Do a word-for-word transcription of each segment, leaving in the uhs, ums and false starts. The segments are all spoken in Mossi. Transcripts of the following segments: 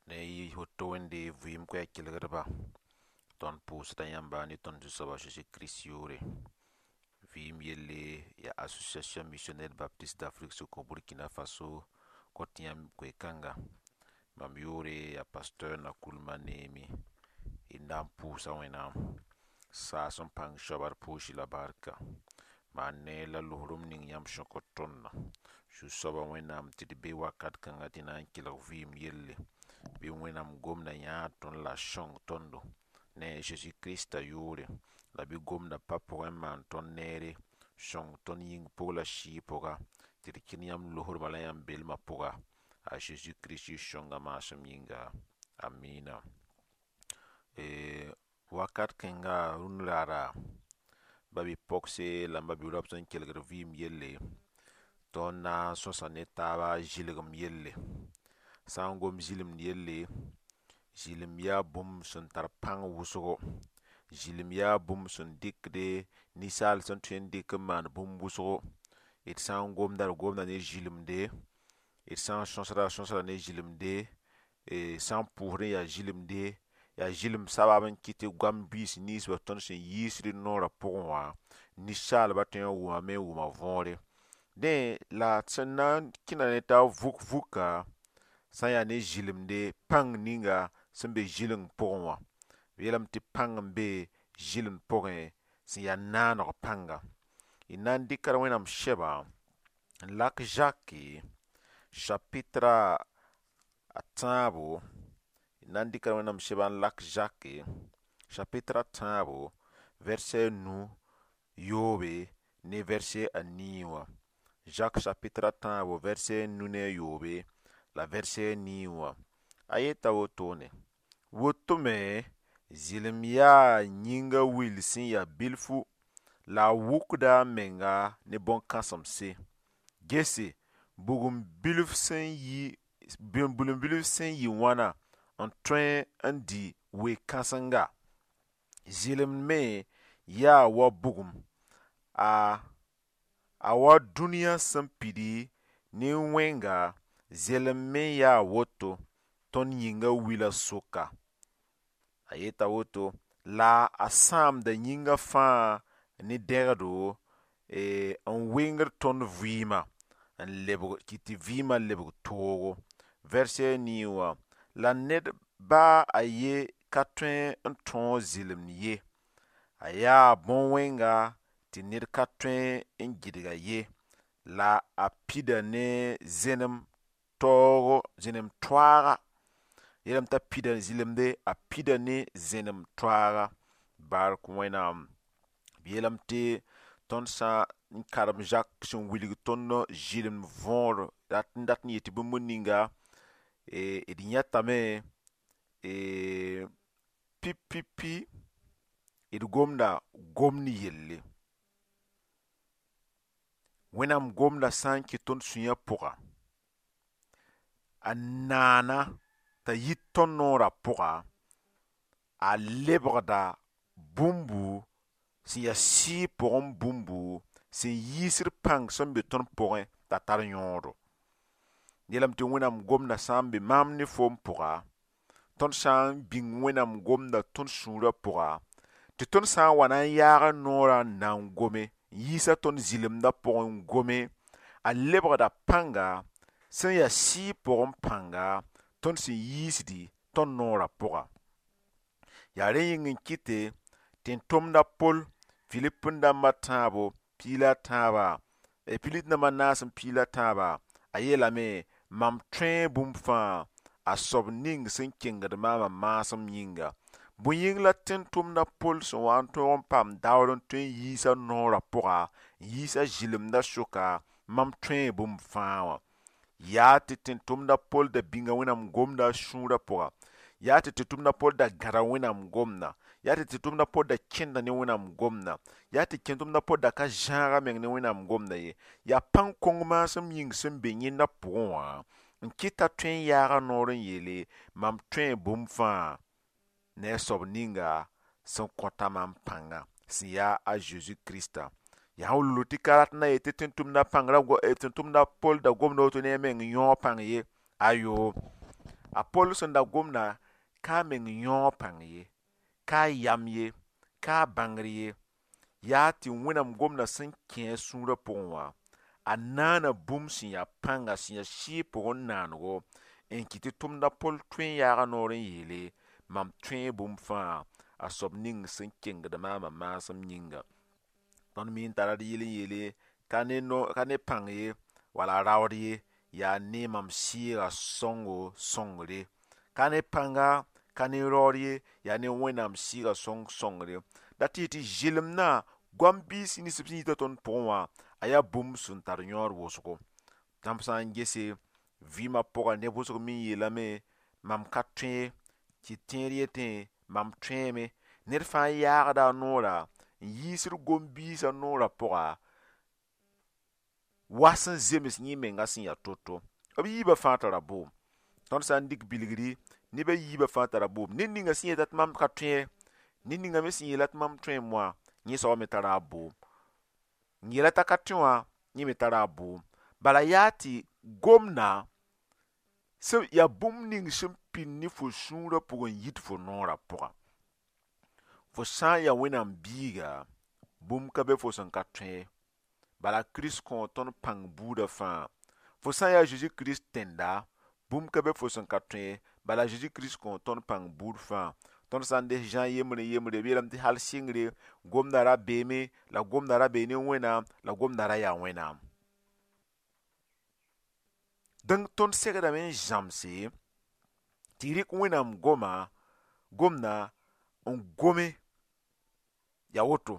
Ne y woto wẽnde vɩɩm koɛɛg kelgdba tõnd pʋʋsda yãmba ne tõnd zu-soaba Jésus-Christ yʋʋre. Vɩɩm yelle yaa Association Missionnaire Baptiste d'Afrique sʋk Burkina Faso kõt yãmb koe-kãnga. Mam yʋʋre yaa Pasteur Nakoulma Neemi. D na n pʋʋsa Wẽnnaam saas n pãng soaba d pʋʋs la barka. Maan neer la losrem ning yãmb sẽn kõt tõndã. Zu-soaba Wẽnnaam tɩ d be wakat kãngã tɩ na n kelg vɩɩm yelle. Bɩ Wẽnnaam gomda yãag tõnd la a sõng tõndo ne a Jésus-Christ yʋʋre la bɩ gomda pa pʋgẽ n maan tõnd neere sõng tõnd yĩng pʋg la sɩɩg pʋga tɩ d kẽn yãmb losrmã la yãmb belmã pʋga a Jésus-Christ sõnga maasem yĩnga. Amina. Wakat kẽnga rũnd raara ba-bi-pogse la m ba-bi-raob sẽn kelgd vɩɩm yelle tõnd na n sõsa ne taaba zɩlgem yelle. Sã n gom zɩlemd yelle, zɩlem yaa bũmb sẽn tar pãng wʋsgo. Zɩlem yaa bũmb sẽn dɩkde ninsaal sẽn tõe n dɩk n maan bũmb wʋsgo. D sã n gomda d gomda ne zɩlemde, d sã n sõsda d sõsda ne zɩlemde, sã n pʋʋsd n yaa zɩlemde, yaa zɩlem sabab n kɩt tɩ goam biis ninsbã tõnd sẽn yiisd d noorã pʋgẽ wã, ninsaalbã tõe n wʋmame n wʋm a võore. Dẽ la sẽn na n kẽna ne taab vuk vuka sã n yaa ne zɩlemde pãng ninga sẽn be zɩleng pʋgẽ wã. B yeelame tɩ pãng n be zɩlemd pʋgẽ sẽn yaa naaneg pãnga. D na n dɩka Wẽnnaam sɛba n lak Zake chapitre a tãabo, d na n dɩka Wẽnnaam sɛba n lak Zake chapitre a tãabo verset a nu yoobe ne verset a nii wã. Jacques chapitre a tãabo verset a nu ne a yoobe la verset a nii wã. A yeta wotone: woto me zɩlem yaa yĩnga will sẽn yaa bilfu la a wʋkda a menga ne bõn-kãsemse. Gese, bugum bilf sẽn yi bugum bilf sẽn yɩ wãna n tõe n dɩ we-kãsenga. Zɩlemd me yaa wa bugum, a a wa dũniyã sẽn pidi ne wẽnga zelem me yaa woto tõnd yĩnga wila sʋka. A yeta woto la a sãamda yĩnga fãa ne dẽgdo n wengd tõnd vɩɩmã n lebg kɩt tɩ vɩɩmã lebg toogo. Verset a nii wã la ned baa a ye ka tõe n tõog zɩlemd ye. A yaa bõn-wẽnga tɩ ned ka tõe n gɩdga ye la a pida ne zẽnem taoogo zẽnem toaaga. Yeelame t'a pida zɩlemde a pida ne zẽnem toaaga. Bark Wẽnnaam. B yeelame tɩ tõnd sã n karem Zak sẽn wilg tõnd zɩlemd võor rat n dat n yet bũmb ninga d yãtame pipi d gomda gomd yelle. Wẽnnaam gomda sã n kɩ tõnd sũyã pʋga, a naana t'a yit tõnd noorã pʋga, a lebgda bũmbu sẽn yaa sɩɩg pʋgẽ bũmbu sẽn yiisd pãng sẽn be tõnd pʋgẽ t'a tar yõodo. Yeelame tɩ Wẽnnaam gomda sã n be maam ne foom pʋga, tõnd sã n bĩng Wẽnnaam gomda tõnd sũurã pʋga, tɩ tõnd sã n wa na n yaag noorã n na n gome, n yiisa tõnd zɩlemdã pʋgẽ n gome, a lebgda pãnga sẽn yaa sɩɩg pʋgẽ pãnga tõnd sẽn yiisdi tõnd noorã pʋga. Yaa rẽ yĩng n kɩte tẽn-tʋmda Pol Filip dãmba tãabo piig la a tãaba, Filip dãmba naas n piig la tãaba, a yeelame mam tõe bũmb fãa a soab ning sẽn kengd maamã maasem yĩnga. Bõe yĩng la tẽn-tʋmda Pol sẽn wa n tõog n paam daoor n tõe n yiisa noorã pʋga, n yiisa zɩlemdã sʋka, mam tõe bũmb fãa wã. Yaa tɩ tẽn-tʋmda Pol da bĩnga Wẽnnaam gomda a sũurã pʋga, yaa tɩ tẽn-tʋmda Pol da gãda Wẽnnaam gomda, yaa tɩ tẽn-tʋmda Pol da kẽnda ne Wẽnnaam gomda, yaa tɩ tẽn-tʋmda Pol da ka zãag a meng ne Wẽnnaam gomda ye. Yaa pãng kõng maasem yĩng sẽn be yẽnda pʋgẽ wã n kɩt t'a tõe n yaag a noor n yeele mam tõe bũmb fãa ne a soab ninga sẽn kõta maam pãnga sẽn yaa a Zeezi Krista. Yaa n wilg tɩ ka rat n na yet tɩ tẽn-tʋmda pãngrã tẽn-tʋmda Pol da gomda woto ne a meng yõog pãng ye. Ayo, A Pol sẽn da gomda ka a meng yõog pãng ye, ka a yam ye, ka a bãngr ye, yaa tɩ Wẽnnaam gomda sẽn kẽ a sũurã pʋgẽ wã, a naana bũmb sẽn yaa pãnga sẽn yaa sɩɩg pʋgẽ naanego n kɩt tɩ tʋmd a Pol tõe n yaaga noor n yeele mam tõe bũmb fãa a soab ning sẽn kengd maamã maasem yĩnga. Tõnd mi n tara d yɩl n yeele ka ne no ka ne pãng ye wala raood ye yaa ne mam sɩɩga sõngo sõngre. Ka ne pãnga ka ne raood ye yaa ne Wẽnnaam sɩɩga sõng sõngre. Da tɩ tɩ zɩlemdã goam biis nins b sẽn yita tõnd pʋgẽ wã a yaa bũmb sẽn tar yõod wʋsgo. Yãmb sã n gese vɩɩmã pʋga neb wʋsg me yeelame mam ka tõe tɩ tẽed yetẽ mam tõeeme. Ned fãa yaagda a noora n yiisd gom-biisã noorã pʋga wa sẽn zems yẽ menga sẽn yaa to-to. B yiibã fãa tara bʋʋm. Tõnd sã n dɩk bilgri neb a yiibã fãa tara bʋʋm. Ned ninga sẽn yeta tɩ mam ka tõe ned ninga me sẽn yeela tɩ mam tõeem wã yẽ soaba me tara a bʋʋm. N yeela t'a ka tõe wã yẽ me tara a bʋʋm. Bala yaa tɩ gomda sẽn yaa bũmb ning sẽn pĩnd ne fo sũurã pʋgẽ n yit fo noorã pʋga. Fo sã n yaa Wẽnnaam biiga, bũmb ka be fo sẽn ka tõe ye. Bala Kirist kõo tõnd pãng buudã fãa. Fo sã n yaa Zeezi Kirist tẽnda, bũmb ka be fo sẽn ka tõe ye. Bala Zeezi Kirist kõo tõnd pãng buud fãa. Tõnd sã n des Zã yembre yembre b yeelame tɩ hal sɩngre gomda ra beeme la gomda ra bee ne Wẽnnaam la gomda ra yaa Wẽnnaam. Donc tõnd segdame n zãmse tɩ rɩk Wẽnnaam goma gomda n gome yaa woto.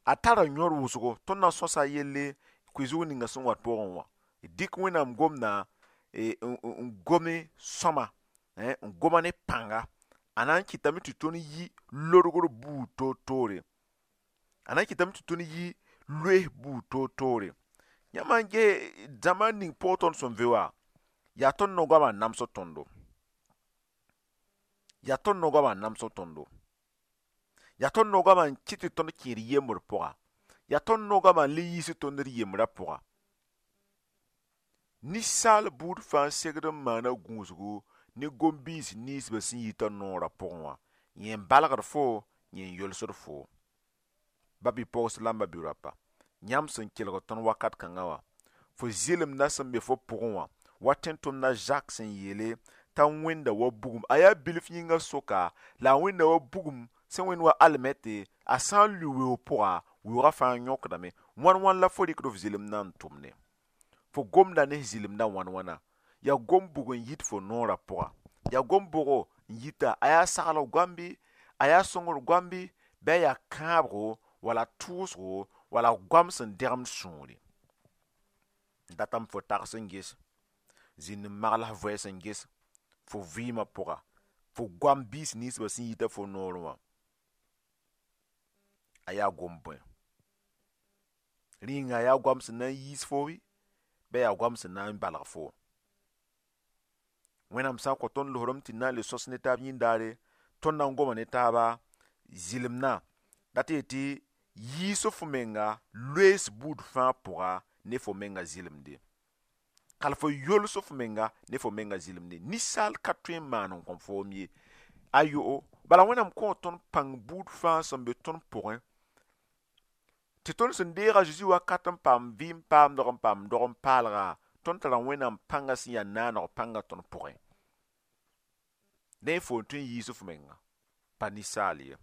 A tara yõod wʋsgo tõnd na n sõsa a yelle koe-zug ninga sẽn wat pʋgẽ wã. Dɩk Wẽnnaam gomda n gome sõma n goma ne pãnga. A na n kɩtame tɩ tõnd yi lorgr buud toor-toore. A na n kɩtame tɩ tõnd yi loees buud toor-toore. Yãmb n ges dãmba ning pʋgẽ tõnd sẽn ve wã, yaa tõnd no-goamã n namsd tõndo. Yaa tõnd no-goamã n namsd tõndo. Yaa tõnd no-goamã n kɩt tɩ tõnd kẽed yembr pʋga. Yaa tõnd no-goamã n le yiisd tõnd d yembrã pʋga. Ninsaal buud fãa segd n maana gũusgu ne gom-biis ninsbã sẽn yita noorã pʋgẽ wã. Yẽ n balgd fo, yẽ n yolsd fo. Ba-bi-pogs la m ba-bi-raopa, yãmb sẽn kelg tõnd wakat kãngã wã, fo zɩlemdã sẽn be fo pʋgẽ wã, wa tẽn-tʋmdã Zak sẽn yeele t'a wẽnda wa bugum. A yaa bilf yĩngã soka la a wẽnda wa bugum sẽn wẽnd wa almɛte, a sã n lʋɩ weoog pʋga, weoogã fãa yõkdame. Wãn wãn la fo rɩkd f zɩlemdã n tʋmne. Fo gomda ne zɩlemdã wãn wãna. Yaa gom-bug n yit fo noorã pʋga. Yaa gom-bʋgo n yita a yaa saglg goam bɩ, a yaa sõngr goam bɩ, bɩ a yaa kãabgo wala tʋʋsgo wala goam sẽn dẽgemd sũuri. N datame fo tags n ges, zĩnd n magl f vɛɛs n ges fo vɩɩmã pʋga, fo goam biis ninsbã sẽn yita fo noorẽ wã. A yaa gom bõe? Rĩnga yaa goam sẽn na n yiis fo bɩ, bɩ yaa goam sẽn na n balg fo. Wẽnnaam sã n kõ tõnd losrem tɩ na n le sõs ne taab yĩndaare, tõnd na n goma ne taaba zɩlemdã dat tɩ yetɩ yiis fo menga loees buud fãa pʋga ne fo menga zɩlemde. Kal fo yols fo menga ne fo menga zɩlemde. Ninsaal ka tõe n maan n kõm foom ye. Ayo, bala Wẽnnaam kõo tõnd pãng buud fãa sẽn be tõnd pʋgẽ tɩ tõnd sẽn deega Zeezi wakat n paam vɩɩm paamdg n paam dog n paalga, tõnd tara Wẽnnaam pãngã sẽn yaa naaneg pãngã tõnd pʋgẽ. Dẽ fo n tõe n yiis f menga, pa ninsaal ye.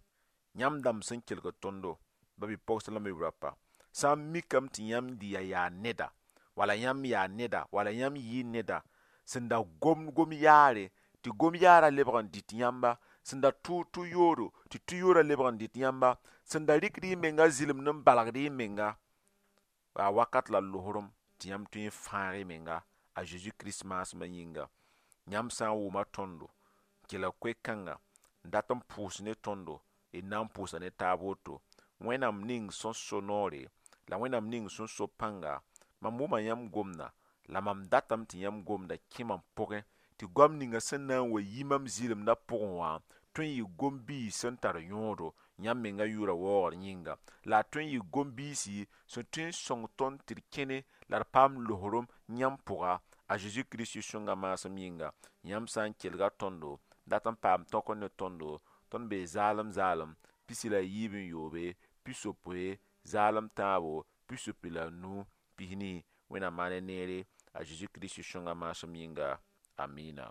Yãmb dãmb sẽn kelgd tõndo, ba-bi-pogs la m-bi-raopa, sã n mikame tɩ yãmb ya yaa neda, wala yãmb yaa neda, wala yãmb yɩ neda sẽn da gom gom-yaare, tɩ gom-yaarã lebg n dɩt yãmba, sẽn da tʋʋg tʋ-yoodo, tɩ tʋ-yoorã lebg n dɩt yãmba, sẽn da rɩkd y menga zɩlemd n balgd y menga, yaa wakat la losrem tɩ yãmb tõe n fãag y menga a Zeezi Kirist maasmã yĩnga. Yãmb sã n wʋma tõndo, n kelg koe-kãnga, n dat n pʋʋs ne tõndo, d na n pʋʋsa ne taab woto. Wẽnnaam ning sẽn so noore, la Wẽnnaam ning sẽn so pãnga, mam wʋma yãmb gomda, la mam datame tɩ yãmb gomda kẽ mam pʋgẽ, tɩ goam ninga sẽn na n wa yi mam zɩlemdã pʋgẽ wã tõe n yɩ gom-biis sẽn tar yõodo yãmb menga yʋʋra waoogr yĩnga. La a tõe n yɩ gom-biisi sẽn tõe n sõng tõnd tɩ d kẽne la d paam losrem yãmb pʋga A Zeezi Kirist sõnga maasem yĩnga, yãmb sã n kelga tõndo, dat n paam tõk ne tõndo, tõnd bee zaalem zaalem, pisi la yiib n yoobe, pisopoe, zaalem tãabo, pisopoe la nu, pisni. Wẽnnaam maan neere, a Zeezi Kirist sõnga maasem yĩnga. Amina.